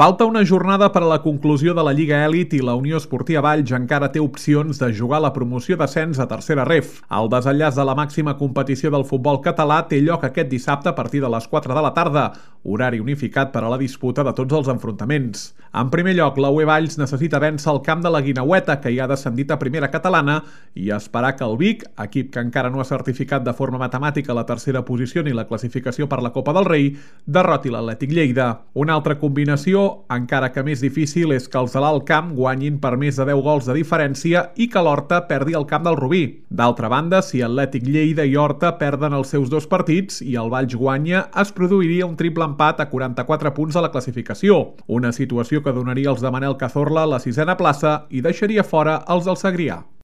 Falta una jornada per a la conclusió de la Lliga Elit i la Unió Esportiva Valls encara té opcions de jugar la promoció d'ascens a tercera ref. El desenllaç de la màxima competició del futbol català té lloc aquest dissabte a partir de les 4 de la tarda, horari unificat per a la disputa de tots els enfrontaments. En primer lloc, la UE Valls necessita vèncer el camp de la Guineueta, que ja ha descendit a primera catalana, i esperar que el Vic, equip que encara no ha certificat de forma matemàtica la tercera posició ni la classificació per la Copa del Rei, derroti l'Atlètic Lleida. Una altra combinació, encara que més difícil, és que els de l'Alt Camp guanyin per més de 10 gols de diferència i que l'Horta perdi el camp del Rubí. D'altra banda, si Atlètic Lleida i Horta perden els seus dos partits i el Valls guanya, es produiria un triple empat a 44 punts a la classificació, una situació que donaria als de Manel Cazorla la 6a plaça i deixaria fora els del Segrià.